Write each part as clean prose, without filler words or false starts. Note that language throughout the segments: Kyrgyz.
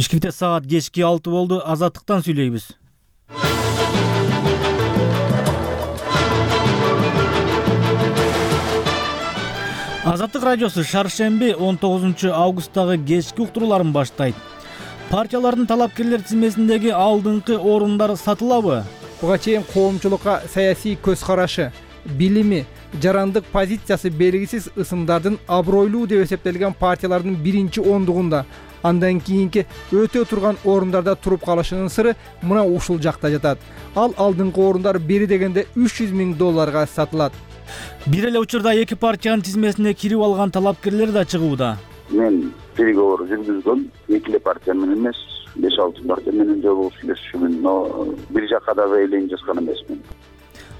Бишкекте саат кечки 6 болду. Азаттыктан сүйлөйбүз. Азаттык радиосу шаршемби 19 августтагы кечки уктурууларын баштайт. Партиялардын талапкерлер тизмесиндеги алдыңкы орундар сатылабы? Буга чейин коомчулукка саясий көз карашы, билими, жарандык позициясы белгисиз ысымдардын абройлуу деп эсептелген партиялардын биринчи ондугунда, андан кийинки өтө турган орундарда туруп калышынын сыры мына ушул жакта жатат. Ал алдыңкы орундар бери дегенде $300,000 сатылат. Бир эле учурда эки партиянын тизмесине кирип алган талапкерлер да чыгууда. Мен переговор жүргүзгөм, эки партия менен эмес, 5-6 партия менен жолугуп сүйлөшүмүн, но бир жакка да эйлен жазган эмесмин.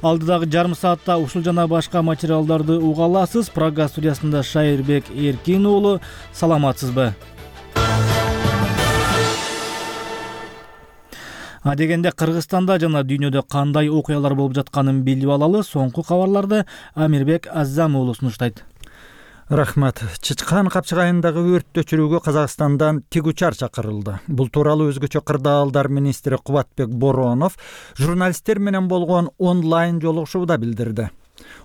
Алдыдагы жарым саатта ушул жана башка материалдарды уга аласыз. Прага студиясында Шайырбек Эркин уулу, саламатсызбы? Адегенде Кыргызстанда жана дүйнөдө кандай окуялар болуп жатканын билип алалы. Соңку кабарларды Амирбек Аззам уулу сунуштайт. Рахмат. Чычкан капчыгайындагы өрттү өчүрүүгө Казакстандан тигучар чакырылды. Бул тууралуу өзгөчө кырдаалдар министри Кубатбек Боронов журналисттер менен болгон онлайн жолугушууда билдирди.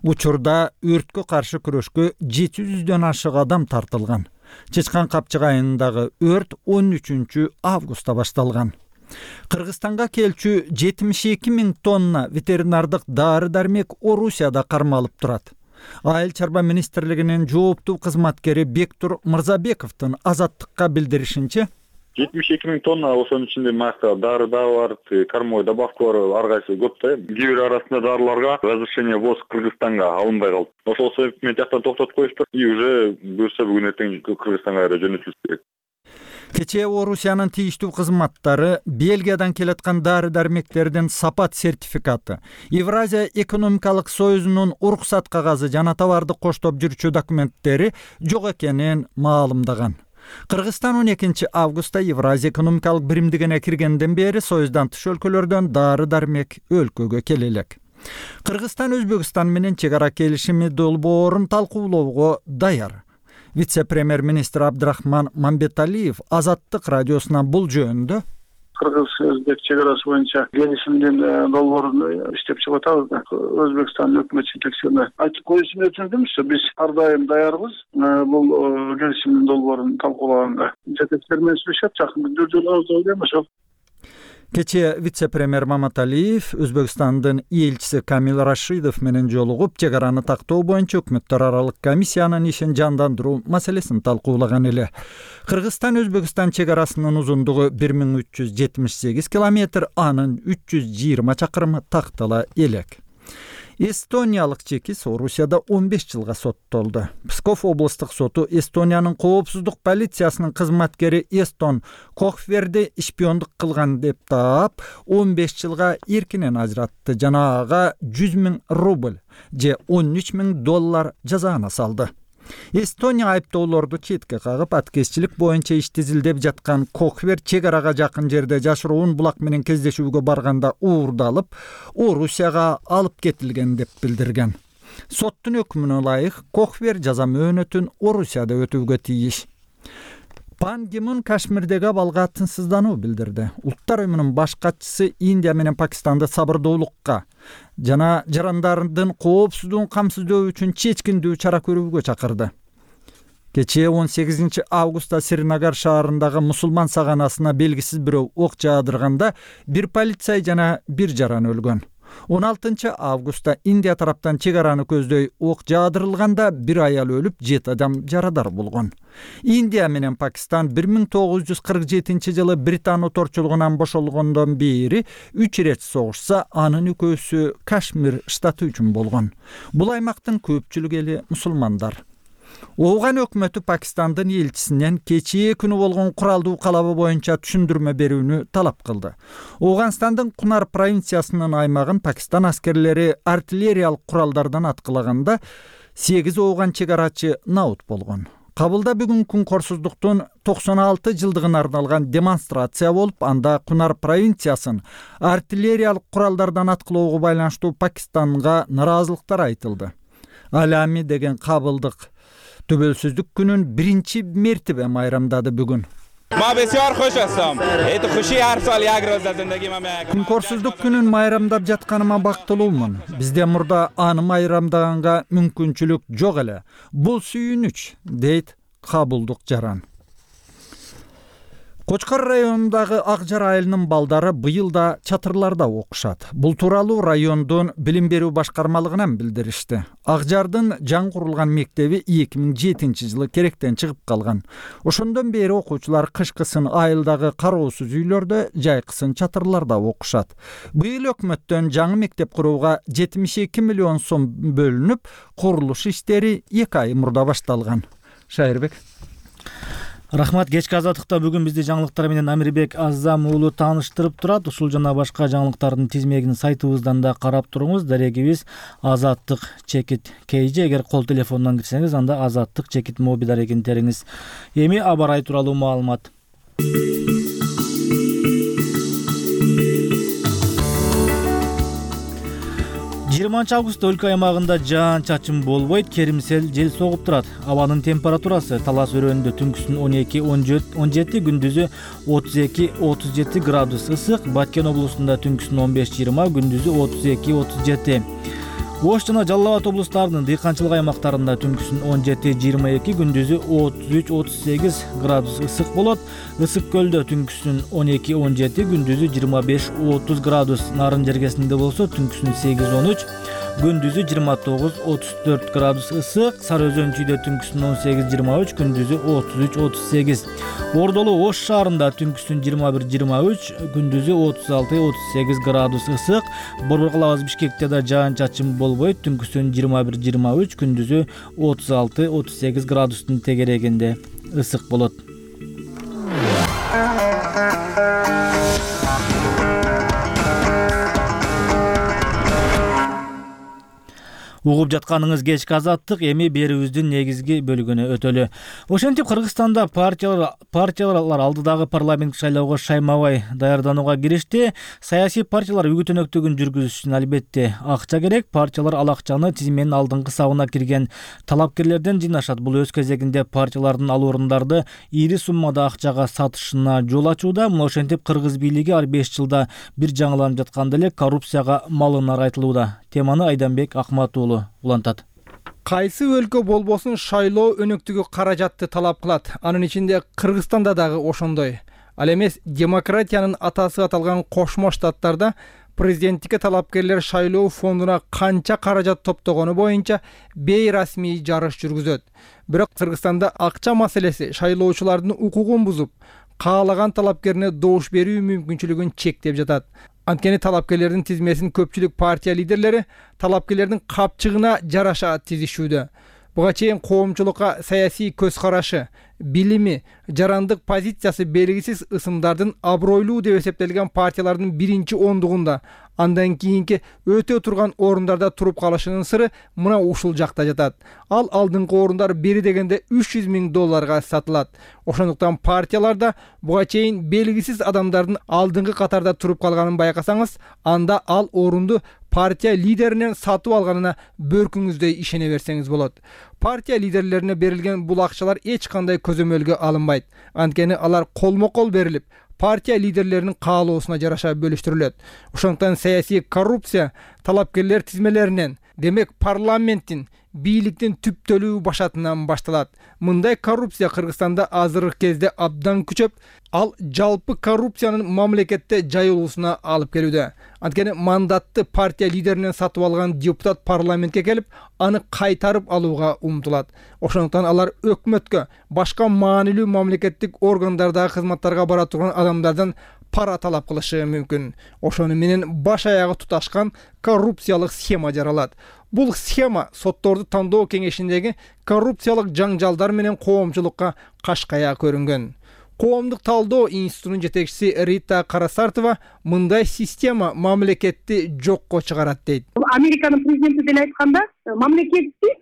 Учурда өрткө каршы күрөшкө 700дөн ашык адам тартылган. Чычкан капчыгайындагы өрт 13 августта башталган. Кыргызстанга келчү 72,000 тонна ветеринардык дары-дармек Орусияда кармалып турат. Айыл чарба министрлигинин жооптуу кызматкери Бектур Мырзабековдун Азаттыкка билдиришинче, 72,000 тонна, ошонун ичинде макта дары да бар, кормой добавка бар, ар кайсы көп да. Кээ бир арасында дарыларга разрешение ввоз Кыргызстанга алынбай калды. Ошол себептен жактан токтотуп коюшту. И уже буюрса бүгүн эртең Кыргызстанга жөнөтүлүш керек. Кечээ Орусиянын тийиштүү кызматтары Бельгиядан келаткан дары-дармектердин сапат сертификаты, Евразия экономикалык союзунун уруксат кагазы жана товарды коштоп жүрчү документтери жок экенин маалымдаган. Кыргызстан 12 августта Евразия экономикалык биримдигине киргенден бери союздан тыш өлкөлөрдөн дары-дармек өлкөгө келе элек. Кыргызстан Өзбекстан менен чек ара келишими долбоорун талкуулоого даяр. Вице-премьер-министр Абдрахман Мамбеталиев Азаттык радиосуна бул жөнүндө Кыргыз-Өзбек чек арасы боюнча келишимдин долбоорун иштеп чыгып атабыз да. Өзбекстан өкмөт жетекчилине айтып коюусун өтүндүмүз. Биз ар дайым даярбыз бул келишимдин долбоорун талкуулаганга. Жетекчилер менен сүйлөшөп, жакын күндөрдө жолугабыз деп ошол. Кечээ вице-премьер Маматалиев Өзбекстандын элчиси Камил Рашидов менен жолугуп, чек араны тактоо боюнча өкмөттөр аралык комиссиянын ишин жандандыруу маселесин талкуулаган эле. Кыргызстан Өзбекстан чек арасынын узундугу 1378 километр, анын 320 чакырымы тактала элек. Эстониялык чекис Орусияда 15 жылга соттолду. Псков облустук соту Эстониянын коопсуздук полициясынын кызматкери Эстон Кохверди шпиондук кылган деп таап 15 жылга эркинен ажыратты жана ага 100,000 рубль же $13,000 жазаына салды. Эстония айыптоолорду четке кагып, аткезчилик боюнча ишти изилдеп жаткан Кохвер чек арага жакын жерде жашыруун булак менен кездешүүгө барганда уурдалып, Орусияга алып кетилген деп билдирген. Соттун өкмүнө ылайык Кохвер жаза мөөнөтүн Орусияда өтүүгө тийиш. Пан Ги Мун Кашмирдеги абалга тынчсыздануу билдирди. Улуттар уюмунун баш катчысы Индия менен Пакистанды сабырдуулукка жана жарандардын коопсуздугун камсыздоо үчүн чечкиндүү чара көрүүгө чакырды. Кечээ 18 августта Сринагар шаарындагы мусулман саганасына белгисиз бирөө ок жаадырганда бир полицей жана бир жаран өлгөн. 16 августта Индия тараптан чек араны көздөй ок жаадырылганда бир аял өлүп, 7 адам жарадар болгон. Индия менен Пакистан 1947 жылы Британ оторчулугунан бошолгондон бери 3 ирет согушса, анын экөөсү Кашмир штаты үчүн болгон. Бул аймактын көпчүлүгү эли мусулмандар. Ооган өкмөтү Пакистандын элчисинен кечээ күнү болгон куралдуу калабы боюнча түшүндүрмө берүүнү талап кылды. Ооганстандын Кунар провинциясынын аймагын Пакистан аскерлери артиллериялык куралдардан аткылаганда 8 ооган чек арачы наут болгон. Кабылда бүгүн күн корсуздуктун 96 жылдыгына арналган демонстрация болуп, анда Кунар провинциясын артиллериялык куралдардан аткылоого байланыштуу Пакистанга нараазылыктар айтылды. Алами деген кабылдык төбөлсүздүк күнүн биринчи мертебе майрамдады бүгүн. ما بسیار خوش هستم. ایت خوشی هر سال یک روز در زندگی من میاد. Күнкөрсүздүк күнүн майрамдап жатканыма бактылуумун. Бизде мурда аны майрамдаганга мүмкүнчүлүк жок эле. Бул сүйүнүч, дейт Кабылдык Жаран. Кочкор районундагы Акжар айылынын балдары быйыл да чатырларда окушат. Бул тууралуу райондун билим берүү башкармалыгынан билдиришти. Акжардын жаңы курулган мектеби 2007-жылы керектен чыгып калган. Ошондон бери окуучулар кышкысын айылдагы кароосуз үйлөрдө, жайкысын чатырларда окушат. Быйыл өкмөттөн жаңы мектеп курууга 72 миллион сом бөлүнүп, курулуш иштери 2 ай мурда башталган. Шайырбек. Рахмат. Кечки азаттыкта бүгүн бизди жаңылыктар менен Амирбек Азам уулу тааныштырып турат. Ушул жана башка жаңылыктардын тизмегин сайтыбыздан да карап туруңуз. Дарегибиз Азаттык чекит KG. Эгер кол телефонунан кирсеңиз, анда Азаттык чекит моби дарегин териңиз. Эми аба ырайы тууралуу маалымат. 20 августта өлкө аймагында жаан-чачын болбойт, керимсел жел согуп турат. Абанын температурасы Талас өрөөнүндө түнкүсүн 12-17, күндүзү 32-37 градус ысык, Баткен облусунда түнкүсүн 15-20, күндүзү 32-37. Ош жана Жалал Абад облустарынын дыйканчылык аймактарында түнкүсүн 17-22, күндүзү 33-38 градус ысык болот. Ысык көлдө түнкүсүн 12-17, күндүзү 25-30 градус. Нарын жергесинде болсо түнкүсүн 8-13, күндүзү 29-34 градус ысык. Сары Өзөн чүйдө түнкүсүн 18-23, күндүзү 33-38. Ордолу Ош шаарында түнкүсүн 21-23, күндүзү 36-38 градус ысык. Борбор Бишкекте да жаан-чачын болбойт, түнкүсүн 21-23, күндүзү 36-38 градустун тегерегинде ысык болот. Угуп жатканыңыз кечки азаттык, эми берүүбүздүн негизги бөлүгүнө өтөлү. Ошентип Кыргызстанда партиялар алдыдагы парламенттик шайлоого шаймабай даярданууга киришти. Саясий партиялар үгүт-өнөктүгүн жүргүзүш үчүн албетте акча керек. Партиялар ал акчаны тизменин алдыңкы сабына кирген талапкерлерден жыйнашат. Бул өз кезегинде партиялардын ал орундарды ири суммада акчага сатышына жол ачууда. Ошентип кыргыз бийлиги ар 5 жылда бир жаңыланып жатканда эле коррупцияга малынар айтылууда. Теманы Айданбек Акмат уулу улантат. Кайсы өлкө болбосун шайлоо өнөктүгү каражатты талап кылат. Анын ичинде Кыргызстанда дагы ошондой. Ал эмес демократиянын атасы аталган Кошмо Штаттарда президенттикке талапкерлер шайлоо фондуна канча каражат топтогону боюнча бейрасмий жарыш жүргүзөт. Бирок Кыргызстанда акча маселеси шайлоочулардын укугун бузуп, каалаган талапкерине добуш берүү мүмкүнчүлүгүн чектеп жатат. Анткени талапкерлердин тизмесин көпчүлүк партия лидерлери талапкерлердин капчыгына жараша тизишүүдө. Буга чейин коомчулукка саясий көз карашы, билими, жарандык позициясы белгисиз ысымдардын абройлуу деп эсептелген партиялардын биринчи ондугунда, андан кийинки өтө турган орундарда туруп калышынын сыры мына ушул жакта жатат. Ал алдыңкы орундар бери дегенде $300 000 сатылат. Ошондуктан партияларда буга чейин белгисиз адамдардын алдыңкы катарда туруп калганын байкасаңыз, анда ал орунду партия лидеринен сатып алганына бөркүңүздөй ишене берсеңиз болот. Партия лидерлерине берилген бул акчалар эч кандай көзөмөлгө алынбайт. Анткени алар колмо-кол берилип, партия лидерлеринин каалоосуна жараша бөлүштүрүлөт. Ошондуктан саясий коррупция талапкерлер тизмелеринен, демек парламенттин, бийликтин түптөлүү башатынан башталат. Мындай коррупция Кыргызстанда азыркы кезде абдан күчөп, ал жалпы коррупциянын мамлекетте жайылуусуна алып келүүдө. Анткени мандатты партия лидеринен сатып алган депутат парламентке келип, аны кайтарып алууга умтулат. Ошондуктан алар өкмөткө, башка маанилүү мамлекеттик органдардагы кызматтарга бара турган адамдардан пара талап кылышы мүмкүн. Ошону менен баш аягы туташкан коррупциялык схема жаралат. Бул схема сотторду тандоо кеңешиндеги коррупциялык жаңжалдар менен коомчулукка кашкая көрүнгөн. Коомдук талдоо институтунун жетекчиси Рита Карасартова мындай система мамлекетти жокко чыгарат дейт. Американын президенти деле айтканда, мамлекеттик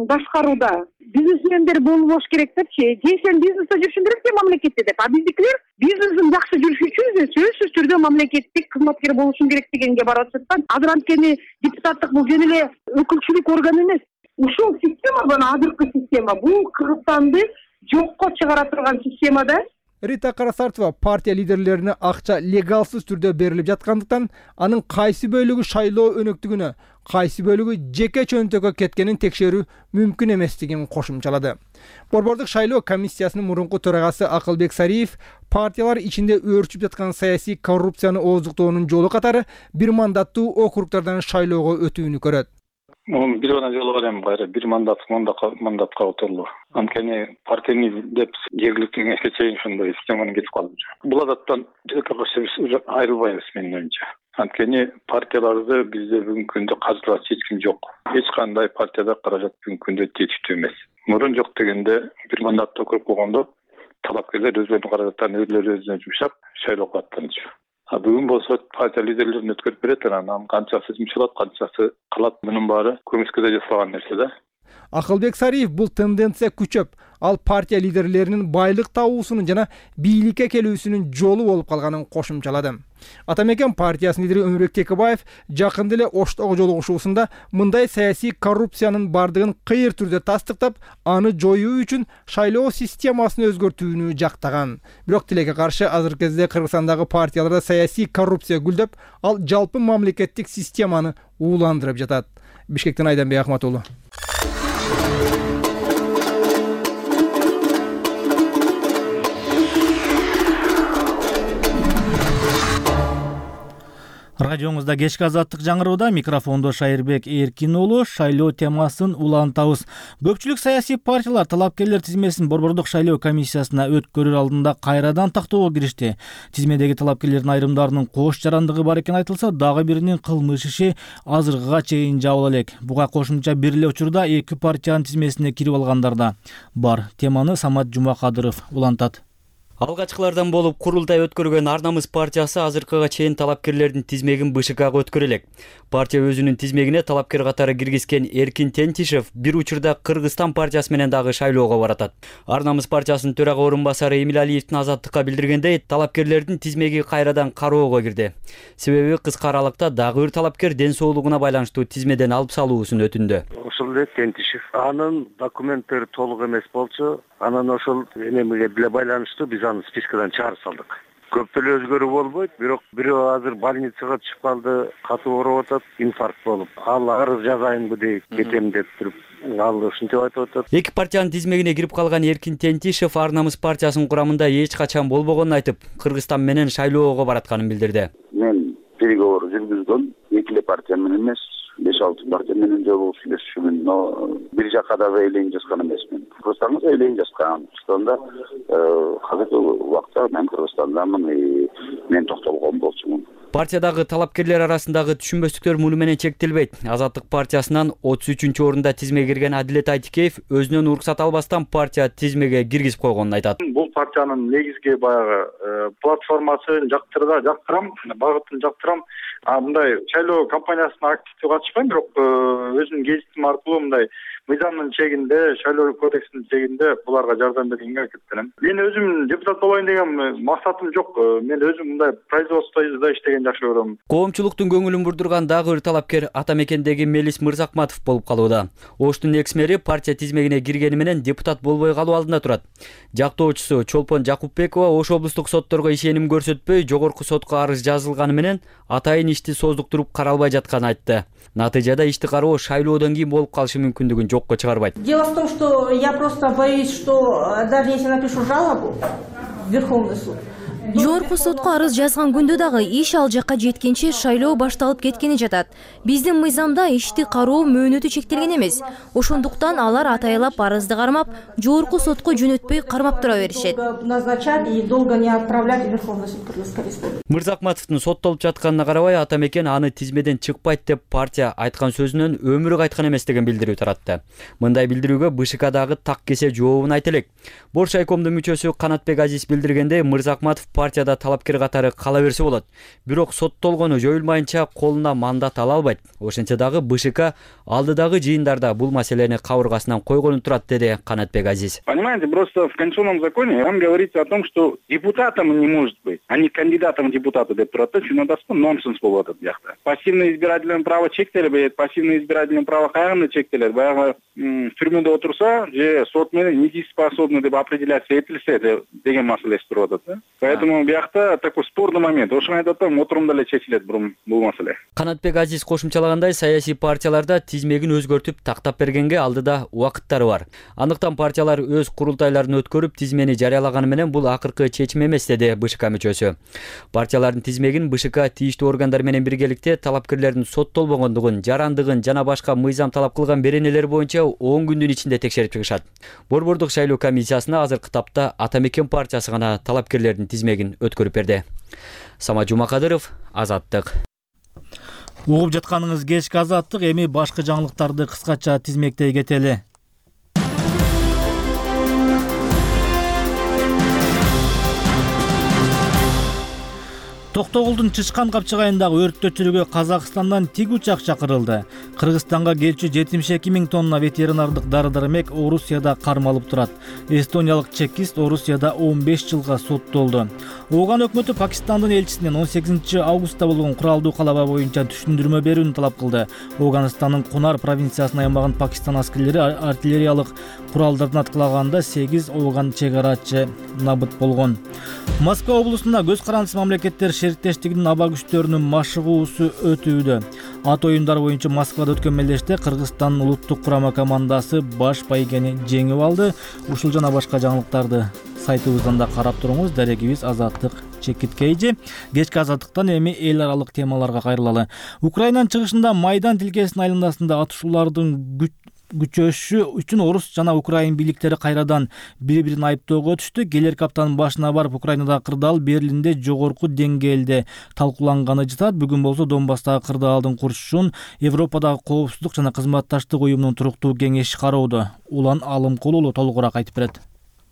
башкарууда бизнесмендер болбош керек депчи. Же сен бизнесте жүрүшүң керек же мамлекетте деп. А биздикилер бизнесин жакшы жүрүшү үчүн сөзсүз түрдө мамлекеттик кызматкер болушуң керек дегенге барып жатат. Азыр анткени депутаттык бул жөн эле өкүлчүлүк орган эмес. Ушул система, бул азыркы система, бул Кыргызстанды жокко чыгара турган системада Рита Карасартова партия лидерлерине акча легалсыз түрдө берилип жаткандыктан анын кайсы бөлүгү шайлоо өнөктүгүнө, кайсы бөлүгү жеке чөнтөккө кеткенин текшерүү мүмкүн эместигин кошумчалады. Борбордук шайлоо комиссиясынын мурунку төрагасы Акылбек Сариев партиялар ичинде өөрчүп жаткан саясий коррупцияны ооздуктоонун жолу катары бир мандаттуу округдардан шайлоого өтүүнү көрөт. Бир гана жолу бар эми кайра бир мандатка отурулуу. Анткени партияны деп жергиликтүү кеңешке чейин ошондой системаны кетип калды. Бул адаттан биз айрылбайбыз менин оюмча. Анткени партияларды бизде бүгүнкү күндө каржылач эч ким жок. Эч кандай партияда каражат бүгүнкү күндө жетиштүү эмес. Мурун жок дегенде бир мандаттуу округ болгондо талапкерлер өздөрүнүн каражаттарын өзүнө жумшап шайлоого аттанчу. Бүгүн болсо партия лидерлерин өткөрүп берет, анан канчасы жумшалат, канчасы калат, мунун баары көмүскөдө жасалган нерсе да. Акылбек Сариев бул тенденция күчөп, ал партия лидерлеринин байлык табуусунун жана бийликке келүүсүнүн жолу болуп калганын кошумчалады. Атамекен партиясынын лидери Өмүрбек Текебаев жакында эле Оштогу жолугушуусунда мындай саясий коррупциянын бардыгын кыйыр түрдө тастыктап, аны жоюу үчүн шайлоо системасын өзгөртүүнү жактаган. Бирок тилекке каршы азыркы кезде Кыргызстандагы партияларда саясий коррупция гүлдөп, ал жалпы мамлекеттик системаны ууландырып жатат. Бишкектен Айданбек Акматулу. Радиоңузда кечки азаттык жаңырууда микрофондо Шайырбек Эркин уулу. Шайлоо темасын улантабыз. Көпчүлүк саясий партиялар талапкерлер тизмесин борбордук шайлоо комиссиясына өткөрөр алдында кайрадан тактоого киришти. Тизмедеги талапкерлердин айрымдарынын кош жарандыгы бар экени айтылса, дагы биринин кылмыш иши азыркыга чейин жабыла элек. Буга кошумча бир эле учурда эки партиянын тизмесине кирип алгандар да бар. Теманы Самат Жумакадыров улантат. Алгачкылардан болуп курултай өткөргөн Ар намыс партиясы азыркыга чейин талапкерлердин тизмегин БШКга өткөрө элек. Партия өзүнүн тизмегине талапкер катары киргизген Эркин Тентишев бир учурда Кыргызстан партиясы менен дагы шайлоого баратат. Ар намыс партиясынын төрага орун басары Эмил Алиевдин Азаттыкка билдиргендей, талапкерлердин тизмеги кайрадан кароого кирди. Себеби кыска аралыкта дагы бир талапкер ден соолугуна байланыштуу тизмеден алып салуусун өтүндү. Ошол эле Тентишев. Анын документтери толук эмес болчу. Анан ошол эмеге деле байланыштуу биз аны спискадан чыгарып салдык. Көп деле өзгөрүү болбойт, бирок бирөө азыр больницага түшүп калды, катуу ооруп атат, инфаркт болуп. Ал арыз жазайынбы дейт, кетем деп туруп, ал ушинтип айтып атат. Эки партиянын тизмегине кирип калган Эркин Тентишев Ар намыс партиясынын курамында эч качан болбогонун айтып, Кыргызстан менен шайлоого баратканын билдирди. Мен переговор жүргүзгөм, эки эле партия менен эмес, 5-6 партия менен жолугуп сүйлөшүшүмүн, но бир жакка да эйлейин жазган эмесмин. Кыргызстанга эйлейин жазган. Кыргызстанда азыркы убакта мен Кыргызстандамын, мен токтолгон болчумун. Партиядагы талапкерлер арасындагы түшүнбөстүктөр муну менен чектелбейт. Азаттык партиясынан 33-орунда тизмеге кирген Адилет Айтикеев өзүнөн уруксат албастан партия тизмеге киргизип койгонун айтат. Бул партиянын негизги баягы платформасын жактырам, багытын жактырам. Мындай шайлоо кампаниясына активдүү катышпайм, бирок өзүмдүн гезитим аркылуу мындай мыйзамдын чегинде, шайлоо кодексинин чегинде буларга жардам бергенге аракеттенем. Мен өзүм депутат болоюн деген максатым жок. Мен өзүм мындай производствода иштеген жакшы көрөм. Коомчулуктун көңүлүн бурдурган дагы бир талапкер Атамекендеги Мелис Мырзакматов болуп калууда. Оштун экс-мэри партия тизмегине киргени менен депутат болбой калуу алдында турат. Жактоочусу Чолпон Жакупбекова Ош облустук сотторго ишеним көрсөтпөй, жогорку сотко арыз жазылганы менен атайын ишти создуктуруп каралбай жатканын айтты. Натыйжада ишти кароо шайлоодон кийин болуп калышы мүмкүндүгүн жокко чыгарбайт. Дело в том, что я просто боюсь, что даже если напишу жалобу в Верховный суд, Жогорку сотко арыз жазган күндө дагы иш ал жакка жеткенче шайлоо башталып кеткени жатат. Биздин мыйзамда ишти кароо мөөнөтү чектелген эмес. Ошондуктан алар атайлап арызды кармап, жогорку сотко жөнөтпөй кармап тура беришет. Назначать и долго не отправлять в Верховный суд Кыргызской республики. Мырзакматовдун соттолуп жатканына карабай, Атамекен аны тизмеден чыкпайт деп партия айткан сөзүнөн өмүрү кайткан эмес деген билдирүү таратты. Мындай билдирүүгө БШКдагы так кесе жообун айтып элек. Бош айкомдун мүчөсү Канатбек Азиз билдиргендей, Мырзакматов партияда талапкер катары кала берсе болот. Бирок соттолгону жоюлмайынча колуна мандат ала албайт. Ошентсе дагы БШК алдыдагы жыйындарда бул маселени кабыргасынан койгону турат, деди Канатбек Азиз. Понимаете, просто в конституционном законе там говорится о том, что депутатом не может быть. они кандидатом в депутаты деп турат да, чынындасызбы, нонсенс болуп атат биякта. Пассивное избирательное право чектелбейт, пассивное избирательное право кайгында чектелет? Баягы түрмөдө отурса же сот менен недееспособный деп определяция этилсе деген маселеси туруп атат да. Поэтому биякта такой спорный момент. Ошону айтып атам, отурумда эле чечилет бул маселе. Канатбек Азиз кошумчалагандай, саясий партияларда тизмегин өзгөртүп тактап бергенге алдыда убакыттары бар. Андыктан партиялар өз курултайларын өткөрүп тизмени жарыялаганы менен бул акыркы чечим эмес, деди БШК мүчөсү. Партиялардын тизмегин БШК тийиштүү органдар менен биргеликте талапкерлердин соттолбогондугун, жарандыгын жана башка мыйзам талап кылган беренелер боюнча 10 күндүн ичинде текшерип чыгышат. Борбордук шайлоо комиссиясына азыркы тапта Ата Мекен партиясы гана талапкерлердин тизмегин өткөрүп берди. Сама Жумакадыров, Азаттык. Угуп жатканыңыз кечки Азаттык, эми башка жаңылыктарды кыскача тизмектей кетели. Токтогулдун Чычкан капчыгайындагы өрттө өчүрүүгө Казакстандан тиг учак чакырылды. Кыргызстанга келчү 72 000 тонна ветеринардык дары-дармек Орусияда кармалып турат. Эстониялык чекист Орусияда 15 жылга соттолду. Ооган өкмөтү Пакистандын элчисинен 18 августта болгон куралдуу калаба боюнча түшүндүрмө берүүнү талап кылды. Оганстандын Кунар провинциясына аймаган Пакистан аскерлери артиллериялык куралдарын аткылаганда 8 ооган чек арачы набыт болгон. Москва облусунда көз карандысыз мамлекеттер шериктештигинин аба күчтөрүнүн машыгуусу өтүүдө. Ат оюндары боюнча Москвада өткөн мелдеште Кыргызстандын улуттук курама командасы баш байгени жеңип алды. Ушул жана башка жаңылыктарды сайтыбыздан да карап туруңуз. Дарегибиз Азаттык Чекиткейжи. Кечки Азаттыктан эми эл аралык темаларга кайрылалы. Украинанын чыгышында Майдан тилкесинин айланасында атышуулардын күчөшү үчүн орус жана украин бийликтери кайрадан бири-бирин айыптоого түштү. Келерки аптанын башына барып Украинадагы кырдаал Берлинде жогорку деңгээлде талкууланганы жатат. Бүгүн болсо Донбасстагы кырдаалдын курушун Европадагы коопсуздук жана кызматташтык уюмунун туруктуу кеңеши кароодо. Улан Алымкул уулу толугураак айтып берет.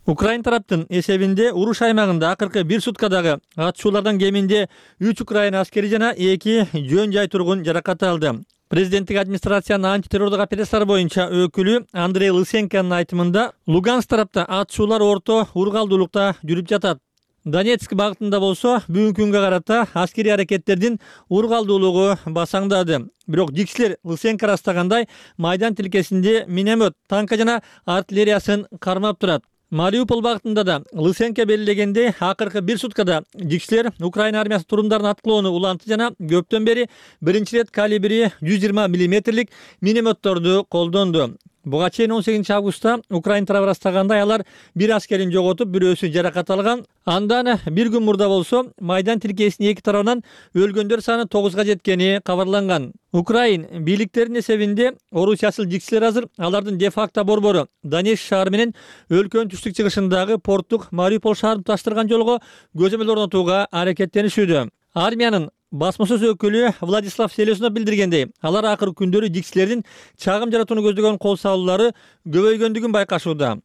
Украин тараптын эсебинде уруш аймагында акыркы 1 суткадагы атышуулардан кеминде 3 Украин аскери жана 2 жөн жай тургун жаракат алды. Президенттик администрациянын антитеррордук операциялар боюнча өкүлү Андрей Лысенконун айтымында Луганск тарапта атышуулар орто ургалдуулукта жүрүп жатат. Донецк багытында болсо бүгүнкү күнгө карата аскерий аракеттердин ургалдуулугу басаңдады. Бирок жикчилер Лысенко растагандай Майдан тилкесинде миномет, танка жана артиллериясын кармап турат. Мариуполь багытында да Лысенко белгилегендей акыркы 1 суткада жикчилер Украина армиясы турумдарын аткылоону уланты жана көптөн бери биринчи рет калибри 120 мм минометторду колдонду. Буга чейин 18 августта Украин тарабы растагандай алар бир аскерин жоготуп, бирөөсү жаракат алган. Андан бир күн мурда болсо Майдан тилкесинин эки тарабынан өлгөндөр саны 9га жеткени кабарланган. Украин бийликтеринин эсебинде орус жасыл жикчилер азыр алардын де-факто борбору Донецк шаары менен өлкөнүн түштүк чыгышындагы порттук Мариуполь шаарын туташтырган жолго көзөмөл орнотууга аракеттенишүүдө. Армиянын басмасөз өкүлү Владислав Селеснов билдиргендей, алар акыркы күндөрү жикчилердин чагым жаратууну көздөгөн кол салуулары көбөйгөндүгүн байкашууда.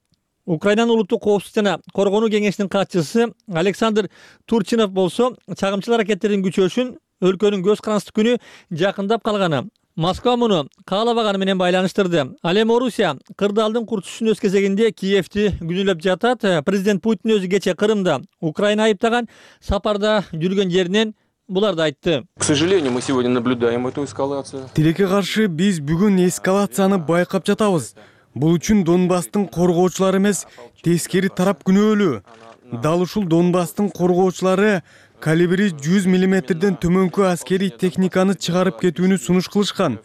Украинанын улуттук коопсуздук жана коргонуу кеңешинин катчысы Александр Турчинов болсо чагымчыл аракеттердин күчөшүн өлкөнүн көз карандысыз күнү жакындап калганы, Москва муну каалабаганы менен байланыштырды. Ал эми Орусия кырдаалдын курчушунун өз кезегинде Киевти күнөөлөп жатат. Президент Путин өзү кече Крымда Украина айыптаган сапарда жүргөн жеринен буларды айтты. К сожалению, мы сегодня наблюдаем эту эскалацию. Тилекке каршы биз бүгүн эскалацияны байкап жатабыз. Бул үчүн Донбасстын коргоочулары эмес, тескери тарап күнөөлүү. Дал ушул Донбасстын коргоочулары калибри 100 мм төмөнкү аскерий техниканы чыгарып кетүүнү сунуш кылышкан.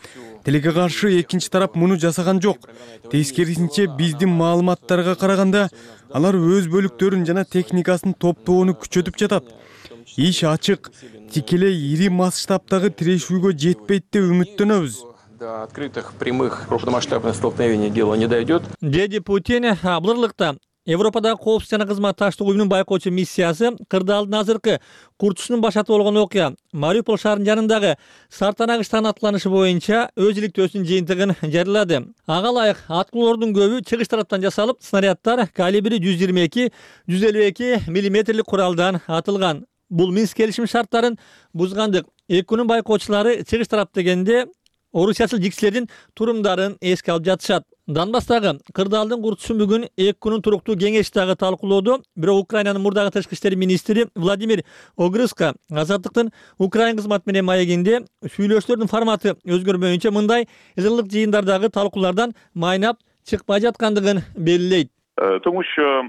Тилекке каршы экинчи тарап муну жасаган жок. Тескерисинче биздин маалыматтарга караганда алар өз бөлүктөрүн жана техникасын топтоону күчөтүп жатат. Иш ачык, тикелей ири масштабтагы тирешүүгө жетпейт деп үмүттөнөбүз. До открытых прямых крупномасштабных столкновений дело не дойдет. Деди Путин Аблырлыкта Европадагы коопсуздук жана кызматташтык уюмунун байкоочу миссиясы кырдаалдын азыркы курчушунун башаты болгон окуя Мариуполь шаарынын жанындагы Сартанагыштан аткыланышы боюнча өз иликтөөсүнүн жыйынтыгын жарыялады. Ага ылайык аткылоордун көбү чыгыш тараптан жасалып, снаряддар калибри 122-152 мм куралдан атылган. Бул Минск келишим шарттарын бузгандык. Экөөнүн байкоочулары чыгыш тарап дегенде орусиячыл жиксилердин турумдарын эске алып жатышат. Донбасстагы кырдаалдын курчусун бүгүн 2 күнүн туруктуу кеңеш дагы талкуулоодо. Бирок Украинанын мурдагы тышкы иштер министри Владимир Огрызко Азаттыктын Украин кызматы менен маегинде сүйлөшүүлөрдүн форматы өзгөрмөйүнчө мындай жылдык жыйындардагы талкуулардан майнап чыкпай жаткандыгын белгилейт. Тому що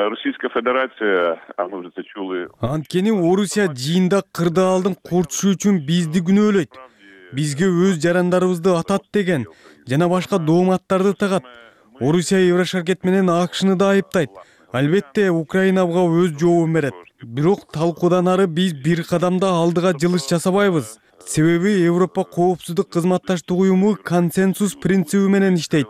Російська Федерація, а ми вже це чули. Анткени Орусия жыйында кырдаалдын курчушу үчүн бизди күнөөлөйт. Бизге өз жарандарыбызды атат деген жана башка дооматтарды тагат. Орусия Еврошаркет менен АКШны да айыптайт. Албетте Украина буга өз жообун берет. Бирок талкуудан ары биз бир кадамда алдыга жылыш жасабайбыз. Себеби Европа коопсуздук кызматташтык уюму консенсус принциби менен иштейт.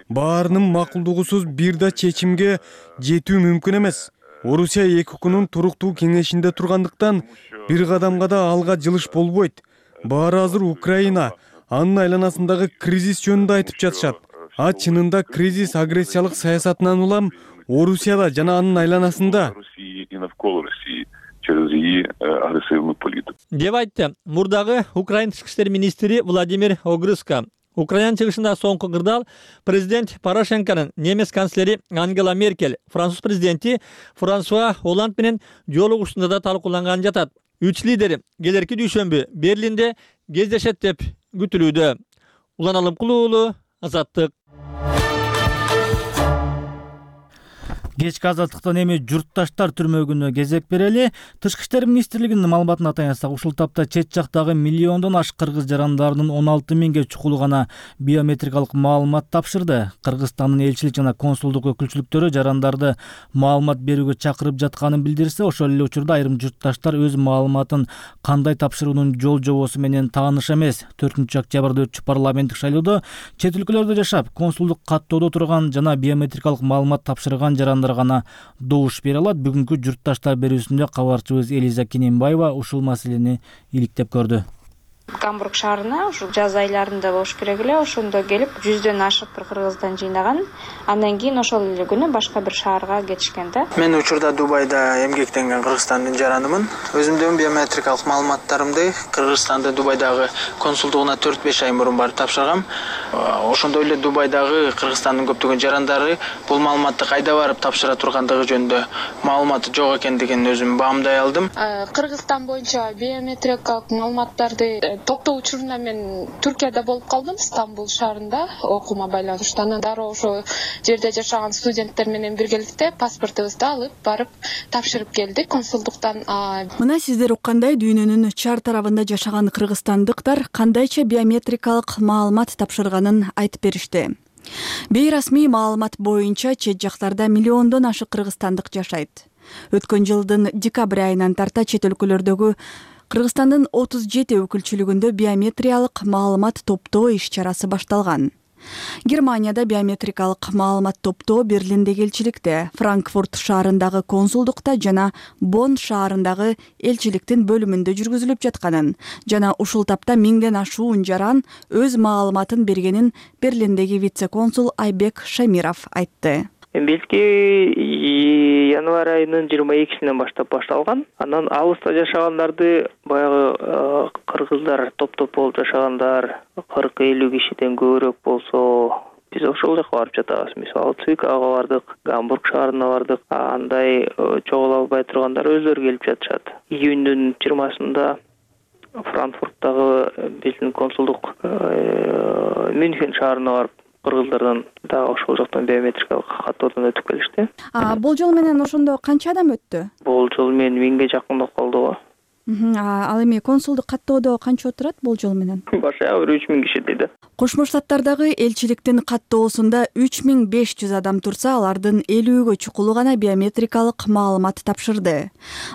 Баарынын макулдугусуз бир да чечимге жетүү мүмкүн эмес. Орусия 2 күнүн туруктуу кеңешинде тургандыктан бир кадамга да алга жылыш болбойт. Баары азыр Украина, анын айланасындагы кризис жөнүндө айтып жатышат. А чынында кризис агрессиялык саясатынан улам Орусияда жана анын айланасында. Через її агресивну політику. Деп айтты мурдагы Украин тышкы иштер министри Владимир Огрызко. Украина чыгышында соңку кырдаал президент Порошенконун, немец канцлери Ангела Меркель, француз президенти Франсуа Оланд менен жолугушуусунда да талкууланган жатат. Үч лидер келерки дүйшөмбү Берлинде кездешет деп күтүлүүдө. Улан Алымкулуу уулу, Азаттык. Кечки азаттыктан эми журтташтар түрмөгүнө кезек берели. Тышкы иштер министрлигинин маалыматына таянсак, ушул тапта чет жактагы миллиондон ашык кыргыз жарандарынын 16 миңге чукулу гана биометрикалык маалымат тапшырды. Кыргызстандын элчилик жана консулдук өкүлчүлүктөрү жарандарды маалымат берүүгө чакырып жатканын билдирсе, ошол эле учурда айрым журтташтар өз маалыматын кандай тапшыруунун жол жобосу менен тааныш эмес. 4-октябрда өтчү парламенттик шайлоодо чет өлкөлөрдө жашап, консулдук каттоодо турган жана биометрикалык маалымат тапшырган жарандар гана добуш бере алат. Бүгүнкү журтташтар берүүсүндө кабарчыбыз Элиза Кененбаева ушул маселени иликтеп көрдү. Гамбург шаарына ушу жаз айларында болуш керек эле, ошондо келип 100дөн ашык бир кыргыздан жыйнаган. Андан кийин ошол эле күнү башка бир шаарга кетишкен да. Мен учурда Дубайда эмгектенген Кыргызстандын жаранымын. Өзүмдүн биометрикалык маалыматтарымды Кыргызстанда Дубайдагы консулдугуна 4-5 ай мурун барып тапшыргам. Ошондой эле Дубайдагы Кыргызстандын көптөгөн жарандары бул маалыматты кайда барып тапшыра тургандыгы жөнүндө маалыматы жок экендигин өзүм баамдай алдым. Кыргызстан боюнча биометрикалык маалыматтарды топтоо учурунда мен Түркияда болуп калдым, Стамбул шаарында окуума байланыштуу. Анан дароо ошо жерде жашаган студенттер менен биргеликте паспортубузду алып барып тапшырып келдик консулдуктан. Мына сиздер уккандай дүйнөнүн чар тарабында жашаган кыргызстандыктар кандайча биометрикалык маалымат тапшырганын айтып беришти. Бейрасмий маалымат боюнча чет жактарда миллиондон ашык кыргызстандык жашайт. Өткөн жылдын декабрь айынан тарта чет өлкөлөрдөгү Кыргызстандын 37 өкүлчүлүгүндө биометриялык маалымат топтоо иш-чарасы башталган. Германияда биометрикалык маалымат топтоо Берлиндеги элчиликте, Франкфурт шаарындагы консулдукта жана Бонн шаарындагы элчиликтин бөлүмүндө жүргүзүлүп жатканын жана ушул тапта 1000ден ашуун жаран өз маалыматын бергенин Берлиндеги вице-консул Айбек Шамиров айтты. Белки январь айынын 22-синен баштап башталган. Анан алыста жашагандарды баягы кыргыздар топ-топ болуп жашагандар 40-50 кишиден көбүрөөк болсо биз ошол жака барып жатабыз. Мисалы Цвикага бардык, Гамбург шаарына бардык. Андай чогула албай тургандар өздөрү келип жатышат. Июндүн 20-сында Франкфурттагы биздин консулдук Мюнхен шаарына барып кыргыздардан да ошол жактан биометрикалык каттоодон өтүп келишти. Болжол менен ошондо канча адам өттү? Болжол менен 1000ге жакындап калды. Ал эми консулдук каттоодо канча отурат болжол менен? Башка 3000 киши дейт. Кошмо Штаттардагы элчиликтин каттоосунда 3500 адам турса, алардын 50гө чукулу гана биометрикалык маалымат тапшырды.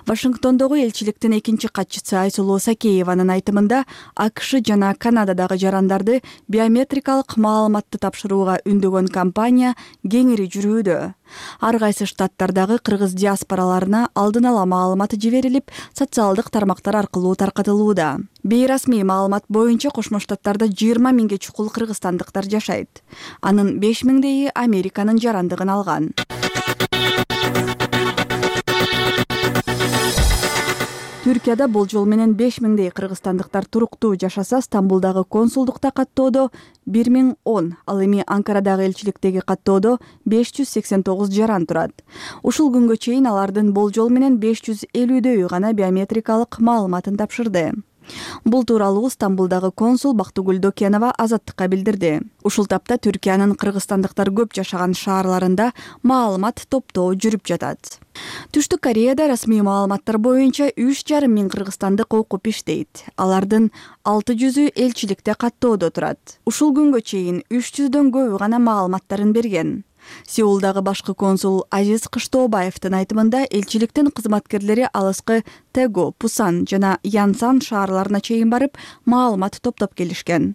Вашингтондогу элчиликтин экинчи катчысы Айсулуу Сакееванын айтымында, АКШ жана Канададагы жарандарды биометрикалык маалыматты тапшырууга үндөгөн кампания кеңири жүрүүдө. Ар кайсы штаттардагы кыргыз диаспораларына алдын ала маалымат жиберилип, социалдык тармактар аркылуу таркатылууда. Бейрасмий маалымат боюнча Кошмо Штаттарда 20 миңге чукул кыргызстандыктар жашайт. Анын 5000дейи Американын жарандыгын алган. Түркияда болжол менен 5000дей кыргызстандыктар туруктуу жашаса, Стамбулдагы консулдукта каттоодо 1010, ал эми Анкарадагы элчиликтеги каттоодо 589 жаран турат. Ушул күнгө чейин алардын болжол менен 550дөйү гана биометрикалык маалыматын тапшырды. Бул тууралуу Стамбулдагы консул Бактыгүл Докенова Азаттыкка билдирди. Ушул тапта Түркиянын кыргызстандыктар көп жашаган шаарларында маалымат топтоо жүрүп жатат. Түштүк Кореяда расмий маалыматтар боюнча 3,5 миң кыргызстандык окуп иштейт. Алардын 600ü элчиликте каттоодо турат. Ушул күнгө чейин 300дөн көбү гана маалыматтарын берген. Сеулдагы башкы консул Азиз Кыштообаевдин айтымында элчиликтин кызматкерлери алыскы Тэгу, Пусан жана Янсан шаарларына чейин барып маалымат топтоп келишкен.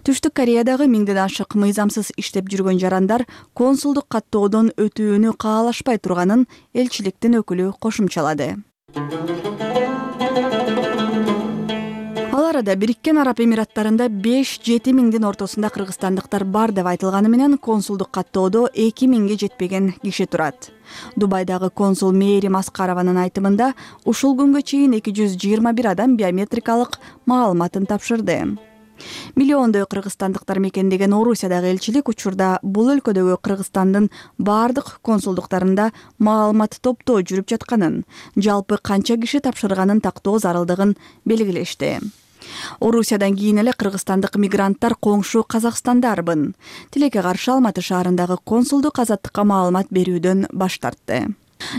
Түштүк Кореядагы 1000ден ашык мыйзамсыз иштеп жүргөн жарандар консулдук каттоодон өтүүнү каалашпай турганын элчиликтин өкүлү кошумчалады. Ал арада Бириккен Араб Эмираттарында 5-7 миңдин ортосунда кыргызстандыктар бар деп айтылганы менен консулдук каттоодо 2 миңге жетпеген киши турат. Дубайдагы консул Мээрим Аскарованын айтымында ушул күнгө чейин 221 адам биометрикалык маалыматын тапшырды. Миллиондой кыргызстандыктар мекендеген Орусиядагы элчилик учурда бул өлкөдөгү Кыргызстандын бардык консулдуктарында маалымат топтоо жүрүп жатканын, жалпы канча киши тапшырганын тактоо зарылдыгын белгилешти. Орусиядан кийин эле кыргызстандык мигранттар коңшу Казакстанда арбын. Тилекке каршы Алматы шаарындагы консулдук азаттыкка маалымат берүүдөн баш тартты.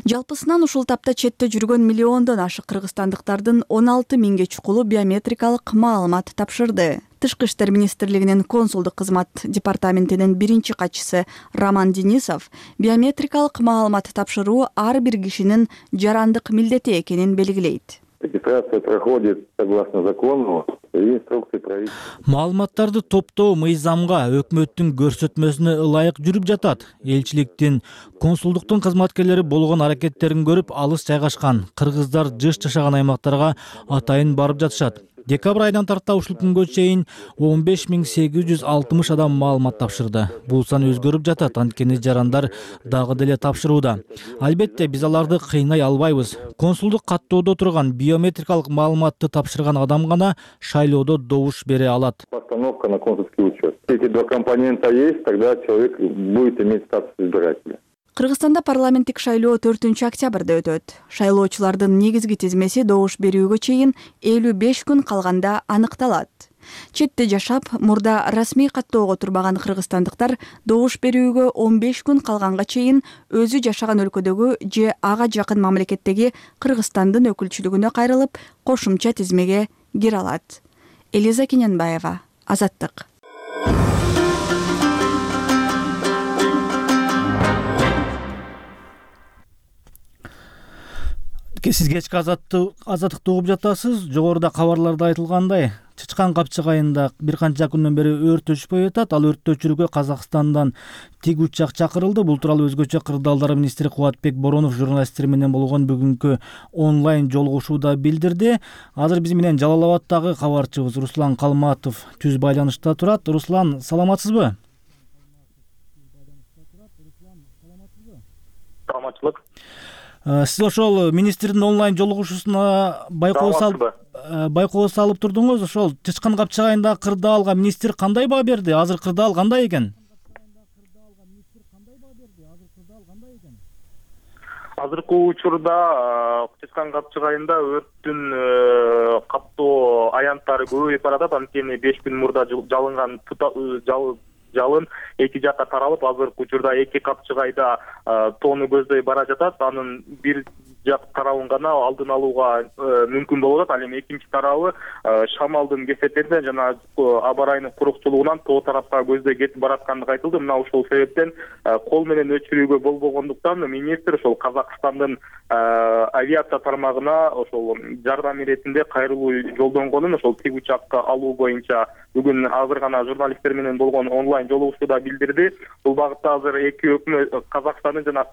Жалпысынан ушул тапта четте жүргөн миллиондон ашык кыргызстандыктардын 16 миңге чукулу биометрикалык маалымат тапшырды. Тышкы иштер министрлигинин консулдук кызмат департаментинин биринчи катчысы Роман Денисов биометрикалык маалымат тапшыруу ар бир кишинин жарандык милдети экенин белгилейт. Регистрация проходит согласно закону и инструкции правительства. Маалыматтарды топтоо мыйзамга, өкмөттүн көрсөтмөсүнө ылайык жүрүп жатат. Элчиликтин, консулдуктун кызматкерлери болгон аракеттерин көрүп, алыс жайгашкан кыргыздар жыш жашаган аймактарга атайын барып жатышат. Декабрь айынан тарта ушул күнгө чейин 15860 адам маалымат тапшырды. Бул сан өзгөрүп жатат, анткени жарандар дагы деле тапшырууда. Албетте, биз аларды кыйнай албайбыз. Консулдук каттоодо турган биометрикалык маалыматты тапшырган адам гана шайлоодо добуш бере алат. Постановка на консульский учет. Эти два компонента есть, тогда человек будет иметь статус избирателя. Кыргызстанда парламенттик шайлоо 4-октябрда өтөт. Шайлоочулардын негизги тизмеси добуш берүүгө чейин 55 күн калганда аныкталат. Четте жашап, мурда расмий каттоого турбаган кыргызстандыктар добуш берүүгө 15 күн калганга чейин өзү жашаган өлкөдөгү же ага жакын мамлекеттеги Кыргызстандын өкүлчүлүгүнө кайрылып, кошумча тизмеге кире алат. Элиза Кененбаева, Азаттык. Сиз кечки азаттыкты угуп жатасыз. Жогоруда кабарларда айтылгандай, Чычкан Капчыгайында бир канча күндөн бери өрт өчпөй атат. Ал өрттү өчүрүүгө Казакстандан тиг учак чакырылды. Бул тууралуу өзгөчө кырдаалдар министри Кубатбек Боронов журналисттер менен болгон бүгүнкү онлайн жолугушууда билдирди. Азыр биз менен Жалал Абаддагы кабарчыбыз Руслан Калматов түз байланышта турат. Руслан, саламатсызбы? Саламатчылык. Сиз ошол министрдин онлайн жолугушуусуна байкоо салып турдуңуз. Ошол Чычкан Капчыгайындагы кырдаалга министр кандай баа берди? Азыр кырдаал кандай экен? Азыркы учурда Чычкан Капчыгайында өрттүн каттоо аянттары көбөйүп баратат. Анткени 5 күн мурда жалынган жалын эки жакка таралып, азыркы учурда эки Капчыгайда тоону көздөй бара жатат. Анын бир жак тарабын гана алдын алууга мүмкүн болуп атат. Ал эми экинчи тарабы шамалдын кесепетинен жана аба ырайынын курукчулугунан тоо тарапка көздөй кетип бараткандыгы айтылды. Мына ушул себептен кол менен өчүрүүгө болбогондуктан министр ошол Казакстандын авиация тармагына ошол жардам иретинде кайрылуу жолдонгонун, ошол тиг учакка алуу боюнча бүгүн азыр гана журналисттер менен болгон онлайн онлайн жолугушууда билдирди. Бул багытта азыр эки өкмөт, Казакстандын жана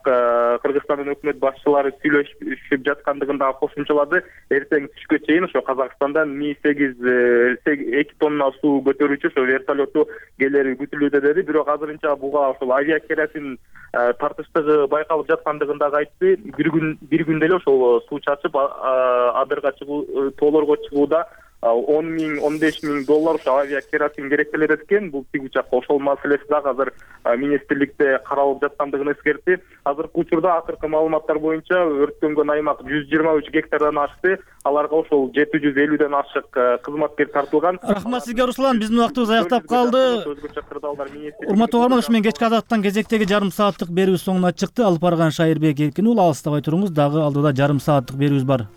Кыргызстандын өкмөт башчылары сүйлөшүп жаткандыгын дагы кошумчалады. Эртең түшкө чейин ошо Казакстандан Mi-8 2 тонна суу көтөрүүчү ошо вертолетту келери күтүлүүдө деди. Бирок азырынча буга ошол авиакеросин тартыштыгы байкалып жаткандыгын дагы айтты. Бир күндө эле ошол суу чачып адырга чыгуу, тоолорго чыгууда 10 миң, 15 миң доллар ошо авиакеросин керектелет экен. Бул тиги учакка ошол маселеси дагы азыр министрликте каралып жаткандыгын эскертти. Азыркы учурда акыркы маалыматтар боюнча өрттөнгөн аймак 123 гектардан ашты. Аларга ошол 750ден ашык кызматкер тартылган. Рахмат сизге, Руслан. Биздин убактыбыз аяктап калды. Урматтуу угарман, ушу менен кечки азаттан кезектеги жарым сааттык берүүбүз соңуна чыкты. Алып барган Шайырбек Эркин уулу, алыстабай туруңуз. Дагы алдыда жарым сааттык берүүбүз бар.